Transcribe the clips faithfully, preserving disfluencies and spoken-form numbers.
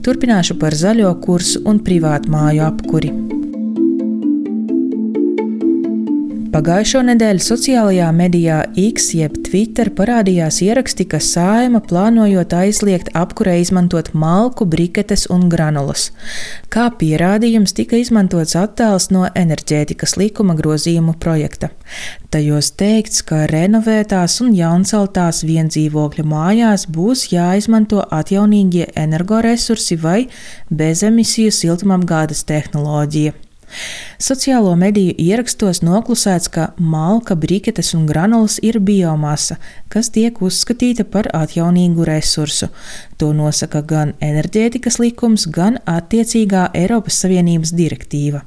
Turpināšu par zaļo kursu un privātmāju apkuri. Pagājušo nedēļu sociālajā medijā X jeb Twitter parādījās ieraksti, ka Saeima plānojot aizliegt apkurei izmantot malku, briketes un granulas. Kā pierādījums tika izmantots attēls no enerģētikas likuma grozījumu projekta. Tajos teikts, ka renovētās un jaunceltās viendzīvokļu mājās būs jāizmanto atjaunīgie energoresursi vai bezemisiju siltumapgādes tehnoloģija. Sociālo mediju ierakstos noklusēts, ka malka, briketes un granulas ir biomasa, kas tiek uzskatīta par atjaunīgu resursu. To nosaka gan enerģētikas likums, gan attiecīgā Eiropas Savienības direktīva.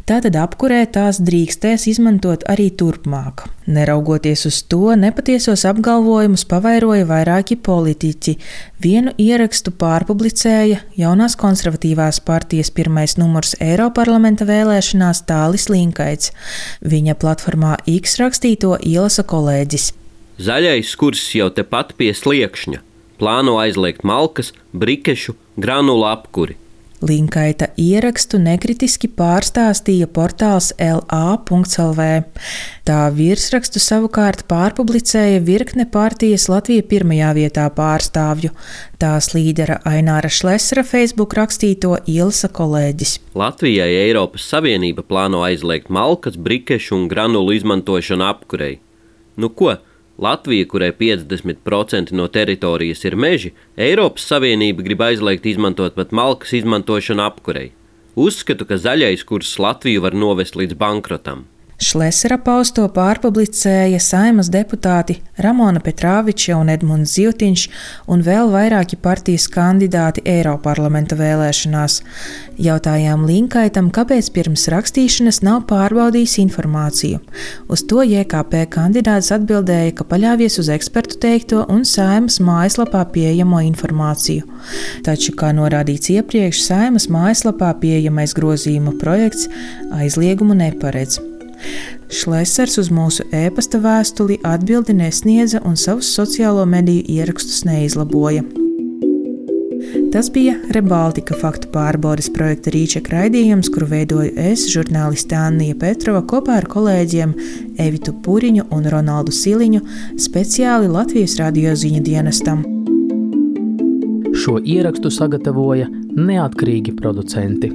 Tātad apkurē tās drīkstēs izmantot arī turpmāk. Neraugoties uz to, nepatiesos apgalvojumus pavairoja vairāki politiķi. Vienu ierakstu pārpublicēja jaunās konservatīvās partijas pirmais numurs Eiroparlamenta vēlēšanās Tālis Linkaits. Viņa platformā X rakstīto ielasa kolēģis. Zaļais kurs jau tepat pie sliekšņa. Plāno aizliegt malkas, brikešu, granulu apkuri. Linkaita ierakstu nekritiski pārstāstīja portāls L A punkts L V. Tā virsrakstu savukārt pārpublicēja virkne partijas Latvija pirmajā vietā pārstāvju. Tās līdera Aināra Šlesera Facebook rakstīto ielasa kolēģis. Latvijai Eiropas Savienība plāno aizliegt malkas, brikešu un granulu izmantošanu apkurei. Nu ko? Latvija, kurai piecdesmit procenti no teritorijas ir meži, Eiropas Savienība grib aizliegt izmantot pat malkas izmantošanu apkurei. Uzskatu, ka zaļais kurs Latviju var novest līdz bankrotam. Šlesera pausto pārpublicēja Saeimas deputāti Ramona Petrāviča un Edmunds Zivtiņš un vēl vairāki partijas kandidāti Eiroparlamenta vēlēšanās. Jautājām Linkaitam, kāpēc pirms rakstīšanas nav pārbaudījis informāciju. Uz to J K P kandidāts atbildēja, ka paļāvies uz ekspertu teikto un Saeimas mājaslapā pieejamo informāciju. Taču, kā norādīts iepriekš, Saeimas mājaslapā pieejamais grozījuma projekts aizliegumu neparedz. Šlesers uz mūsu ēpasta vēstuli atbildi nesniedza un savus sociālo mediju ierakstus neizlaboja. Tas bija Rebaltika faktu pārbaudes projekta Rīčeka raidījums, kuru veidoju es, žurnāliste Annija Petrova, kopā ar kolēģiem Evitu Puriņu un Ronaldu Siliņu, speciāli Latvijas radio ziņu dienestam. Šo ierakstu sagatavoja neatkarīgi producenti.